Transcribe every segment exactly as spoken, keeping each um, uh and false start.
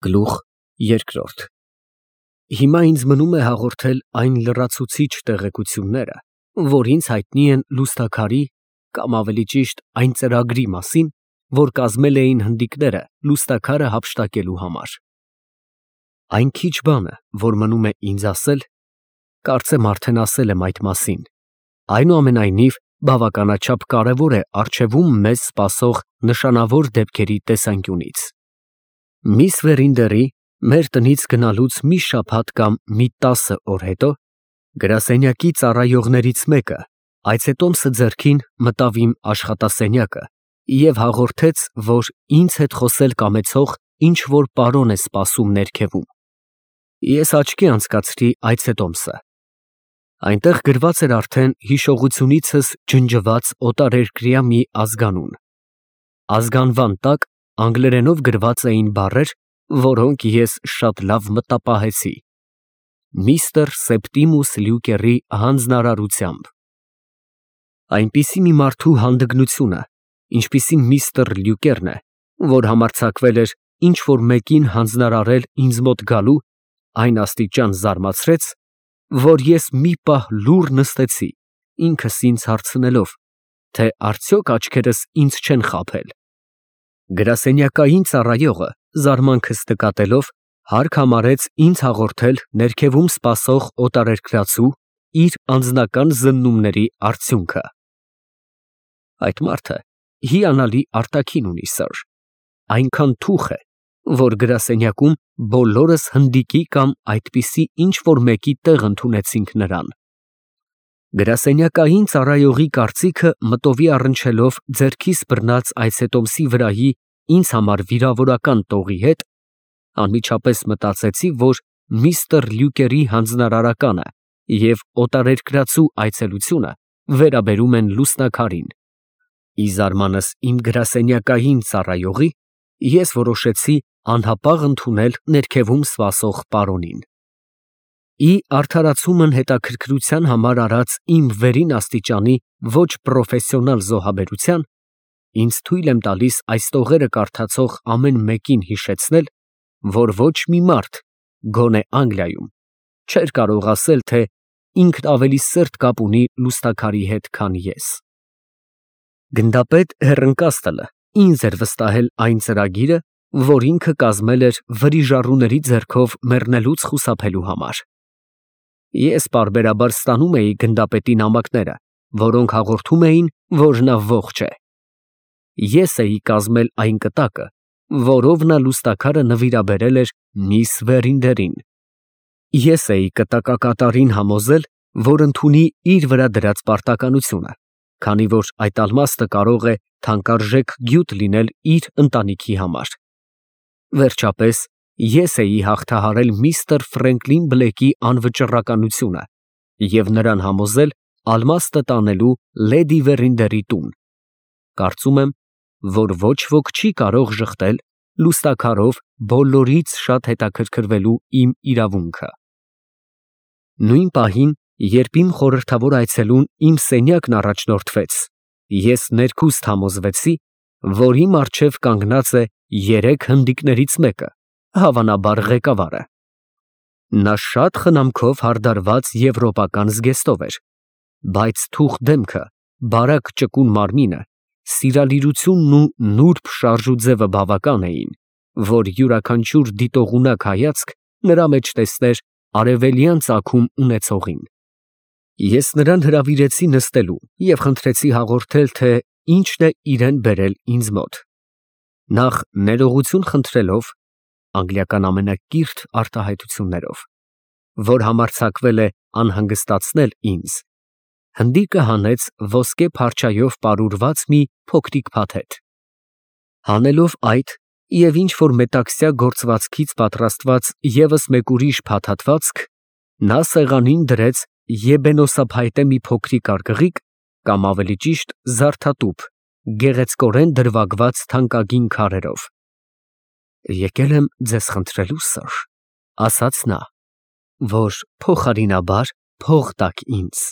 Գլուխ երկրորդ Հիմա ինձ մնում է հաղորդել այն լրացուցիչ տեղեկությունները, որ ինձ հայտնի են Լուսթաքարի կամ ավելի ճիշտ այն ծրագրի մասին, որ կազմել էին հնդիկները Լուսթաքարը հափշտակելու համար։ Այն քիչ բանը, որ մնում է ինձ ասել, կարծեմ արդեն ասել եմ այդ մասին, այնուամենայնիվ բավականաչափ կարևոր է առջևում մեզ սպասող նշանավոր դեպքերի տեսանկյունից։ Միս Վերինդերի մեր տնից գնալուց մի շաբաթ կամ մի տասը օր հետո գրասենյակի ծառայողներից մեկը այցետոմսը ձեռքին մտավ իմ աշխատասենյակը և հաղորդեց, որ ինձ հետ խոսել կամեցող ինչ-որ պարոն է սպասում ներքևում։ Ես աչքի անցկացրի այցետոմսը։ Այնտեղ գրված էր արդեն հիշողությունիցս ջնջված օտարերկրյա մի ազգանուն։ Ազգանվան տակ անգլերենով գրված էին բառեր, որոնք ես շատ լավ մտապահեցի. Միստր Սեպտիմուս Լյուկերի հանձնարարությամբ։ Այնպիսի մի մարդու հանդգնությունը, ինչպիսին միստր Լյուկերն է, որ համարձակվել էր ինչ-որ մեկին հանձնարարել ինձ մոտ գալու, այն աստիճան զարմացրեց, որ ես մի պահ լուռ նստեցի, ինքս ինձ հարցնելով, թե արդյոք աչքերս ինձ չեն խաբել։ Գրասենյակային ծառայողը, զարմանքս նկատելով, հարկ համարեց ինձ հաղորդել ներքևում սպասող օտարերկրացու իր անձնական զննումների արդյունքը։ Այդ մարդը հիանալի արտաքին ունի, սըր, այնքան թուխ է, որ գրասենյակում բոլորս հնդիկի կամ այդպիսի ինչ-որ մեկի տեղ ընդունեցինք նրան։ Գրասենյակային ծառայողի կարծիքը մտովի առնչելով ձեռքիս բռնած այցետոմսի վրայի ինձ համար վիրավորական տողի հետ, անմիջապես մտածեցի, որ միստր Լյուկերի հանձնարարականը և օտարերկրացու այցելությունը վերաբերում են Լուսթաքարին։ Ի զարմանս իմ գրասենյակային ծառայողի, ես որոշեցի անհապաղ ընդունել ներքևում սպասող պարոնին։ Ի արդարացումն հետաքրքրության համար արած իմ վերին աստիճանի ոչ պրոֆեսիոնալ զոհաբերության, ինձ թույլ եմ տալիս այս տողերը կարդացող ամեն մեկին հիշեցնել, որ ոչ մի մարդ, գոնե Անգլիայում, չէր կարող ասել, թե ինքն ավելի սերտ կապ ունի Լուսթաքարի հետ, քան ես։ Գնդապետ Հեռընկաստլը ինձ էր վստահել այն ծրագիրը, որ ինքը կազմել էր վրիժառուների ձեռքով մեռնելուց խուսափելու համար։ Ես պարբերաբար ստանում էի գնդապետի նամակները, որոնք հաղորդում էին, որ նա ողջ է։ Ես էի կազմել այն կտակը, որով նա Լուսթաքարը նվիրաբերել էր միս Վերինդերին։ Ես էի կտակակատարին համոզել, որ ընդունի իր վրա դրած պարտականությունը, քանի որ այդ ալմաստը կարող է թանկարժեք գյուտ լինել իր ընտանիքի համար։ Վերջապես, ես էի հաղթահարել միստր Ֆրենկլին Բլեքի անվճռականությունը և նրան համոզել ալմաստը տանելու լեդի Վերինդերի տուն։ Կարծում եմ, որ ոչ ոք չի կարող ժխտել Լուսթաքարով բոլորից շատ հետաքրքրվելու իմ իրավունքը։ Նույն պահին, երբ իմ խորհրդավոր այցելուն իմ սենյակն առաջնորդվեց, ես ներքուստ համոզվեցի, որ իմ առջև կանգնած է երեք հնդիկներից մեկը, հավանաբար ղեկավարը։ Նա շատ խնամքով հարդարված եվրոպական զգեստով էր, բայց թուխ դեմքը, բարակ ճկուն մարմինը, սիրալիրությունն ու նուրբ շարժուձևը բավական էին, որ յուրաքանչյուր դիտողունակ հայացք նրա մեջ տեսներ արևելյան ծագում ունեցողին։ Ես նրան հրավիրեցի նստելու և խնդրեցի հաղորդել, թե ինչն է իրեն բերել ինձ մոտ։ Նախ ներողություն խնդրելով, անգլիական ամենակիրթ արտահայտություններով, որ համարձակվել է անհանգստացնել ինձ, հնդիկը հանեց ոսկե փարչայով պարուրված մի փոքրիկ փաթեթ։ Հանելով այդ և ինչ-որ մետաքսյա գործվածքից պատրաստված ևս մեկ ուրիշ փաթաթվածք, նա սեղանին դրեց եբենոսափայտե մի փոքրիկ արգղիկ, կամ ավելի ճիշտ զարդատուփ, գեղեցկորեն դրվագված թանկագին քարերով։ Եկել եմ ձեզ խնդրելու, սըր, ասաց նա, որ փոխարինաբար փող տաք ինձ,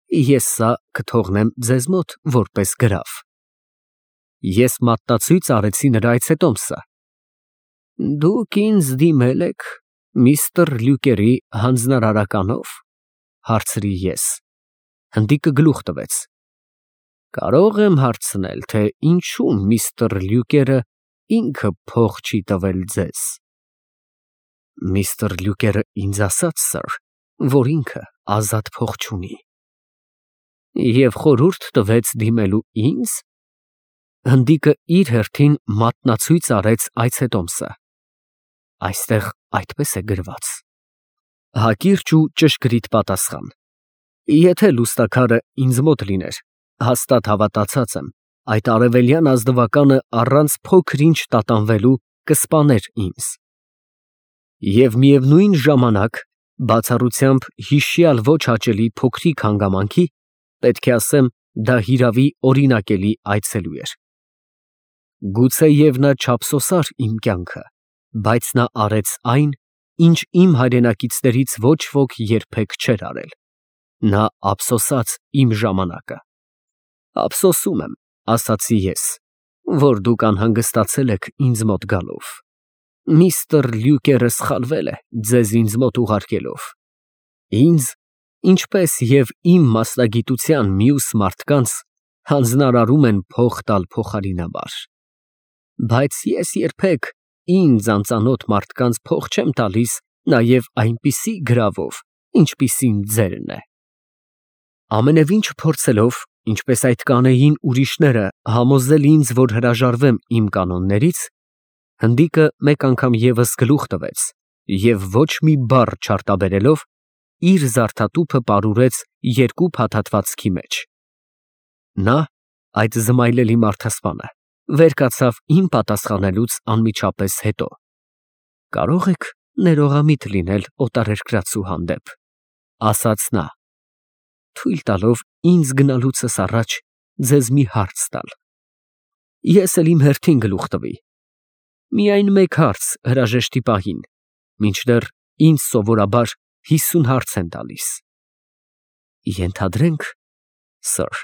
ես սա կթողնեմ ձեզ մոտ որպես գրավ։ Ես մատնացույց արեցի նրա այցետոմսը։ Դուք ինձ դիմել եք միստր Լյուկերի հանձնարարականով, հարցրի ես։ Հնդիկը գլուխ տվեց։ Կարող եմ հարցնել, թե ինչու միստր Լյուկերը ինքը փող չի տվել ձեզ։ Միստր Լյուկերը ինձ ասաց, սըր, որ ինքը ազատ փող չունի։ Եվ խորհուրդ տվեց դիմելու ինձ։ Հնդիկը իր հերթին մատնացույց արեց այցետոմսը։ Այստեղ այդպես է գրված։ Հակիրճ ու ճշգրիտ պատասխան։ Եթե լուստաքարը ինձ մոտ լիներ, հաստատ հավատացած եմ, այդ արևելյան ազնվականը առանց փոքր-ինչ տատանվելու կսպաներ ինձ։ Եվ միևնույն ժամանակ, բացառությամբ հիշյալ ոչ հաճելի փոքրիկ հանգամանքի, պետք է ասեմ, դա հիրավի օրինակելի այցելու էր։ Գուցեև նա չափսոսար իմ կյանքը, բայց նա արեց այն, ինչ իմ հայրենակիցներից ոչ ոք երբեք չէր արել։ Նա ափսոսաց իմ ժամանակը։ Ափսոսում եմ, ասացի ես, որ դուք անհանգստացել եք ինձ մոտ գալով։ Միստր Լյուկերը սխալվել է ձեզ ինձ մոտ ուղարկելով։ Ինձ, ինչպես և իմ մասնագիտության մյուս մարդկանց, հանձնարարում են փող տալ փոխարինաբար։ Բայց ես երբեք ինձ անծանոթ մարդկանց փող չեմ տալիս նաև այնպիսի գրավով, ինչպիսին ձերն է։ Ամենևին չփորձելով, ինչպես այդ կանեին ուրիշները, համոզել ինձ, որ հրաժարվեմ իմ կանոններից, հնդիկը մեկ անգամ ևս գլուխ տվեց և ոչ մի բառ չարտաբերելով, իր զարդատուփը պարուրեց երկու փաթաթվածքի մեջ։ Նա, այդ զմայլելի մարդասպանը, վեր կացավ իմ պատասխանելուց անմիջապես հետո։ Կարո՞ղ եք ներողամիտ լինել օտարերկրացու հանդեպ, ասաց նա, թույլ տալով ինձ գնալուցս առաջ ձեզ մի հարց տալ։ Ես էլ իմ հերթին գլուխ տվի։ Միայն մեկ հարց հրաժեշտի պահին, մինչդեռ ինձ սովորաբար հիսուն հարց են տալիս։ Ենթադրենք, սըր,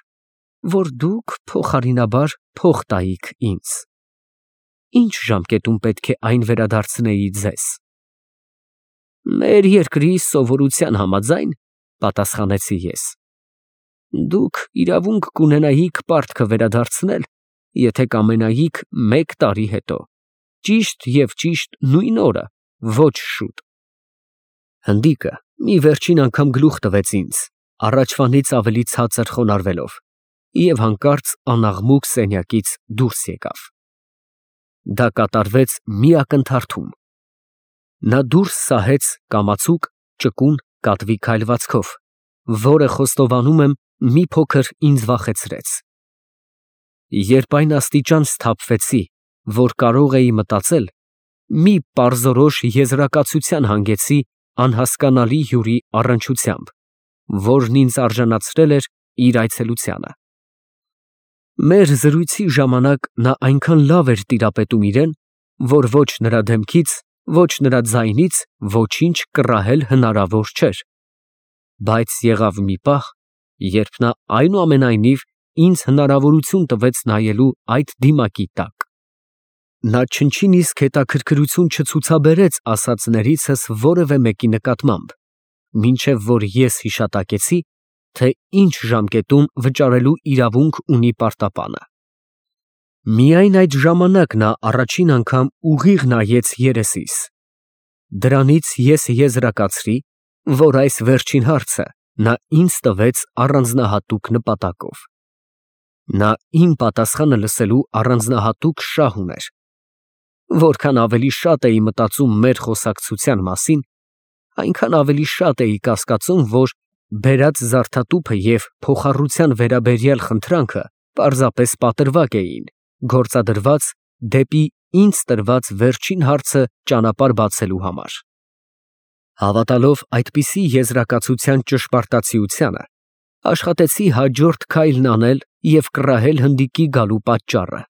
որ դուք փոխարինաբար փող տայիք ինձ։ Ինչ ժամկետում պետք է այն վերադարձնեի ձեզ։ Մեր երկրի սովորության համաձայն, պատասխանեցի ես, դուք իրավունք կունենայիք պարտքը վերադարձնել, եթե կամենայիք մեկ տարի հետո, ճիշտ և ճիշտ նույն օրը, ոչ շուտ։ Հնդիկը մի վերջին անգամ գլուխ տվեց ինձ, առաջվանից ավելի ցածր խոնարհվելով, և հանկարծ անաղմուկ սենյակից դուրս եկավ։ Դա կատարվեց մի ակնթարթում։ Նա դուրս սահեց կամացուկ, ճկուն, կատվի քայլվածքով, որը, խոստովանում եմ, մի փոքր ինձ վախեցրեց։ Երբ այն աստիճան սթափվեցի, որ կարող էի մտածել, մի պարզորոշ եզրակացության հանգեցի անհասկանալի հյուրի առնչությամբ, որն ինձ արժանացրել էր իր այցելությանը։ Մեր զրույցի ժամանակ նա այնքան լավ էր տիրապետում իրեն, որ ոչ նրա դեմքից, ոչ նրա ձայնից ոչինչ կռահել հնարավոր չէր։ Բայց եղավ մի պահ, երբ նա այնուամենայնիվ ինձ հնարավորություն տվեց նայելու այդ դիմակի տակ։ Նա չնչին իսկ հետաքրքրություն չցուցաբերեց ասածներիցս որևէ մեկի նկատմամբ, մինչև որ ես հիշատակեցի, թե ինչ ժամկետում վճարելու իրավունք ունի պարտապանը։ Միայն այդ ժամանակ նա առաջին անգամ ուղիղ նայեց երեսիս։ Դրանից ես եզրակացրի, որ այս վերջին հարցը նա ինձ տվեց առանձնահատուկ նպատակով։ Նա իմ պատասխանը լսելու առանձնահատուկ շահ ուներ։ Որքան ավելի շատ էի մտածում մեր խոսակցության մասին, այնքան ավելի շատ էի կասկածում, որ բերած զարդատուփը և փոխառության վերաբերյալ խնդրանքը պարզապես պատրվակ էին, գործադրված դեպի ինձ տրված վերջին հարցը ճանապարհ բացելու համար։ Հավատալով այդպիսի եզրակացության ճշմարտացիությանը, աշխատեցի հաջորդ քայլն անել և կռահել հնդիկի գալու պատճառը։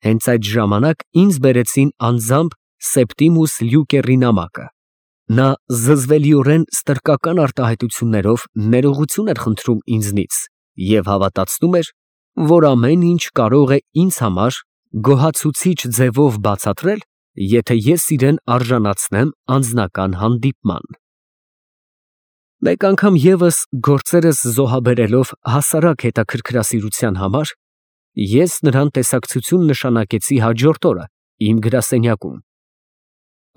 Հենց այդ ժամանակ ինձ բերեցին անձամբ Սեպտիմուս Լյուկերի նամակը։ Նա զզվելիորեն ստրկական արտահայտություններով ներողություն էր խնդրում ինձնից և հավատացնում էր, որ ամեն ինչ կարող է ինձ համար գոհացուցիչ ձևով բացատրել եթե ես իրեն արժանացնեմ անձնական հանդիպման։ Մեկ անգամ ևս գործերս զոհաբերելով հասարակ հետաքրքրասիրության համար, ես նրան տեսակցություն նշանակեցի հաջորդ օրը իմ գրասենյակում։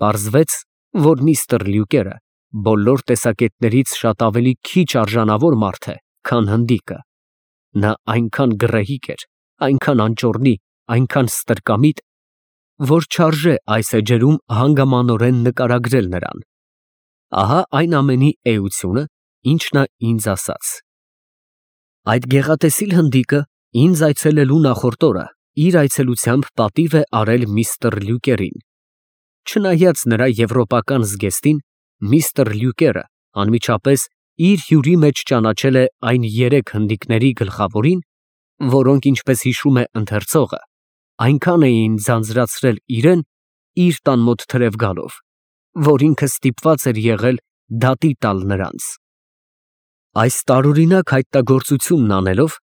Պարզվեց, որ միստր Լյուկերը բոլոր տեսակետներից շատ ավելի քիչ արժանավոր մարդ է, քան հնդիկը։ Նա այնքան գռեհիկ էր, այնքան անճոռնի, այնքան ստրկամիտ, որ չարժե այս էջերում հանգամանորեն նկարագրել նրան։ Ահա այն ամենի էությունը, ինչ նա ինձ ասաց։ Այդ գեղատեսիլ հնդիկը ինձ այցելելու նախորդ օրը իր այցելությամբ պատիվ է արել միստր Լյուկերին։ Չնայած նրա եվրոպական զգեստին, միստր Լյուկերը անմիջապես իր հյուրի մեջ ճանաչել է այն երեք հնդիկների գլխավորին, որոնք, ինչպես հիշում է ընթերցողը, այնքան էին ձանձրացրել իրեն իր տան մոտ թրև գալով, որ ինքը ստիպված էր եղել դատի տալ նրանց։ Այս տարօրինակ հայտնագործությունն անելով,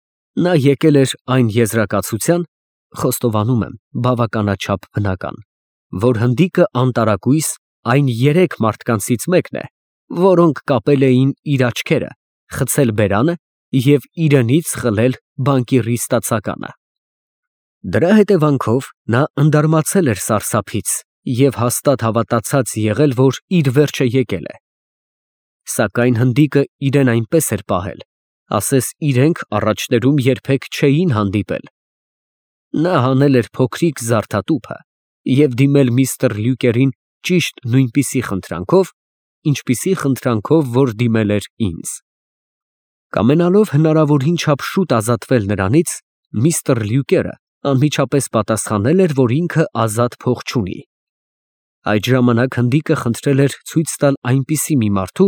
նա եկել էր այն եզրակացության, խոստովանում եմ, բավականաչափ բնական, որ հնդիկը անտարակույս այն երեք մարդկանցից մեկն է, որոնք կապել էին իր աչքերը, խցել բերանը և իրենից խլել բանկիրի ստացականը։ Դրա հետևանքով նա ընդարմացել էր սարսափից և հաստատ հավատացած եղել, որ իր վերջը եկել է։ Սակայն հնդիկը իրեն այնպես էր պահել, ասես իրենք առաջներում երբեք չէին հանդիպել։ Նա հանել էր փոքրիկ զարդատուփը և դիմել միստր Լյուկերին ճիշտ նույնպիսի խնդրանքով, ինչպիսի խնդրանքով, որ դիմել էր ինձ։ Կամենալով հնարավորին չափ շուտ ազատվել նրանից, միստր Լյուկերը անմիջապես պատասխանել էր, որ ինքը ազատ փող չունի։ Այդ ժամանակ հնդիկը խնդրել էր ցույց տալ այնպիսի մի մարդու,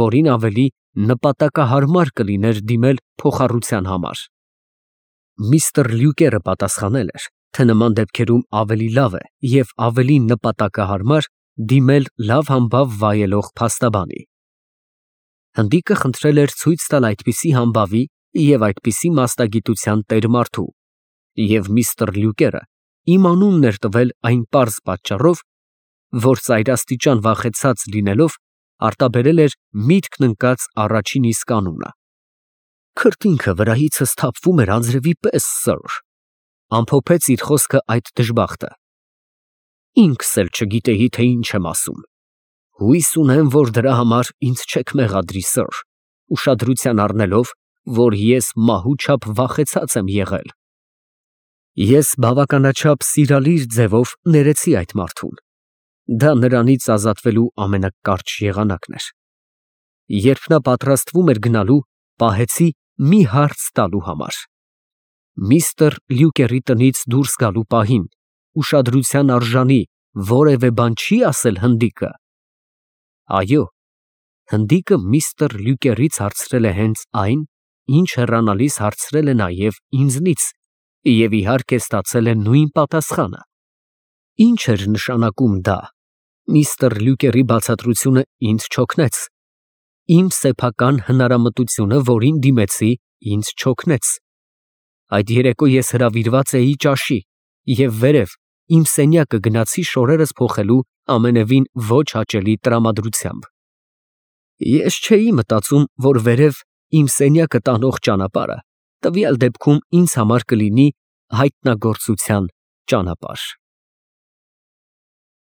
որին ավելի նպատակահարմար կլիներ դիմել փոխառության համար։ Միստր Լյուկերը պատասխանել էր, թե նման դեպքերում ավելի լավ է և ավելի նպատակահարմար դիմել լավ համբավ վայելող փաստաբանի։ Հնդիկը խնդրել էր ցույց տալ այդպիսի համբավի և այդպիսի մասնագիտության տեր մարդու, և միստր Լյուկերը իմ անունն էր տվել այն պարզ պատճառով, որ ծայրաստիճան վախեցած լինելով, արտաբերել էր միտքն ընկած առաջին իսկ անունը։ Քրտինքը վրայիցս թափվում էր անձրևի պես, սըր, ամփոփեց իր խոսքը այդ դժբախտը։ Ինքս էլ չգիտեի, թե ինչ եմ ասում։ Հույս ունեմ, որ դրա համար ինձ չեք մեղադրի, սըր, ուշադրության առնելով, որ ես մահու չափ վախեցած եմ եղել։ Ես բավականաչափ սիրալիր ձևով ներեցի այդ մարդուն։ Դա նրանից ազատվելու ամենակարճ եղանակն էր։ Երբ նա պատրաստվում էր գնալու, պահեցի մի հարց տալու համար։ Միստր Լյուկերի տնից դուրս գալու պահին ուշադրության արժանի որևէ բան չի ասել հնդիկը։ Այո, հնդիկը միստր Լյուկերից հարցրել է հենց այն, ինչ հեռանալիս հարցրել է նաև ինձնից, և իհարկե ստացել է նույն պատասխանը։ Ինչ էր նշանակում դա։ Միստր Լյուկերի բացատրությունը ինձ չօգնեց։ Իմ սեփական հնարամտությունը, որին դիմեցի, ինձ չօգնեց։ Այդ երեկո ես հրավիրված էի ճաշի և վերև իմ սենյակը գնացի շորերս փոխելու ամենևին ոչ հաճելի տրամադրությամբ։ Ես չէի մտածում, որ վերև իմ սենյակը տանող ճանապարհը տվյալ դեպքում ինձ համար կլինի հայտնագործության ճանապարհ։